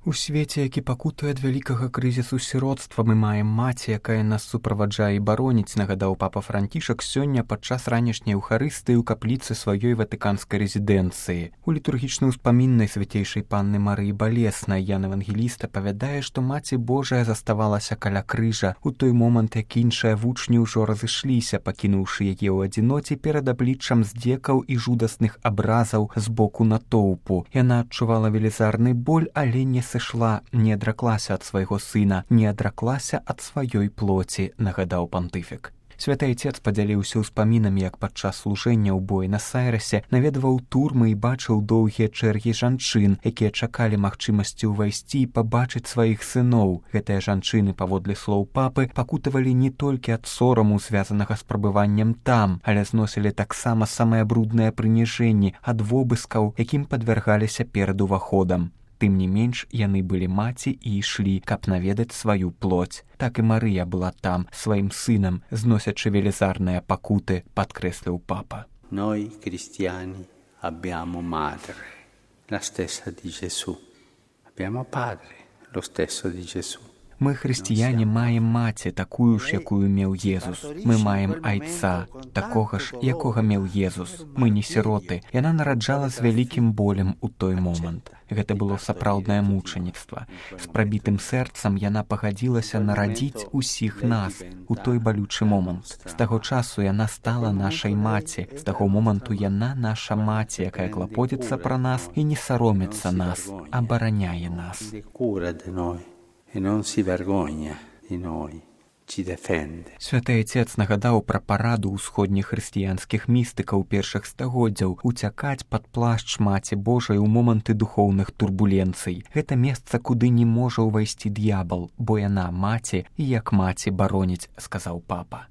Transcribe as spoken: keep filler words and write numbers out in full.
У свеце, які пакутуе ад вялікага крызісу сіроцтва, мы маем маці, якая нас суправаджае і бароніць, нагадаў папа Францішак сёння падчас ранішняй эўхарыстыі ў капліцы сваёй ватыканскай рэзідэнцыі. У літургічнай успаміннай свяцейшай панны Марыі Балеснай Ян Евангеліст апавядае, што маці Божая заставалася каля крыжа у той момант, як іншыя вучні ўжо разышліся, пакінуўшы яе ў адзіноце перад абліччам здзекаў і жудасных абразаў з боку натоўпу. Яна адчувала велізарны боль, але не сышла, не адраклася ад свайго сына, не адраклася ад сваёй плоці, нагадаў пантыфік. Святы Айцец падзяліўся ўспамінамі, як падчас служэння ў Буэнас-Айрэсе наведваў турмы і бачыў доўгія чэргі жанчын, якія чакалі магчымасці ўвайсці і пабачыць сваіх сыноў. Гэтыя жанчыны, паводле слоў папы, пакутавалі не толькі ад сораму, звязанага з прабываннем там, але зносілі таксама самыя брудныя прыніжэнні ад вобыскаў, якім падвяргаліся перад уваходам. Тым не менш, яны былі маці і ішлі, каб наведаць сваю плоть. Так і Марыя была там, сваім сынам, зносячы велізарныя пакуты, падкрэсліў папа. Noi cristiani abbiamo madre, la stessa di Gesù. Abbiamo padre, lo stesso di Gesù. Мы, хрысціяне, маем маці, такую ж, якую меў Езус. Мы маем айца, такога ж, якога меў Езус. Мы не сіроты. Яна нараджала з вялікім болем у той момант. Гэта было сапраўднае мучаніцтва. З прабітым сэрцам яна пагадзілася нарадзіць усіх нас у той балючы момант. З таго часу яна стала нашай маці. З таго моманту яна наша маці, якая клапоціцца пра нас і не саромецца нас, абараняе нас. E non si vergogna di noi, ci difende. Святы Айцец нагадаў пра параду ўсходніх хрысціянскіх містыкаў першых стагоддзяў уцякаць пад плашч маці Божай у моманты духоўных турбуленцый. Гэта месца, куды не можа ўвайсці д'ябал, бо яна маці і як маці бароніць, сказаў папа.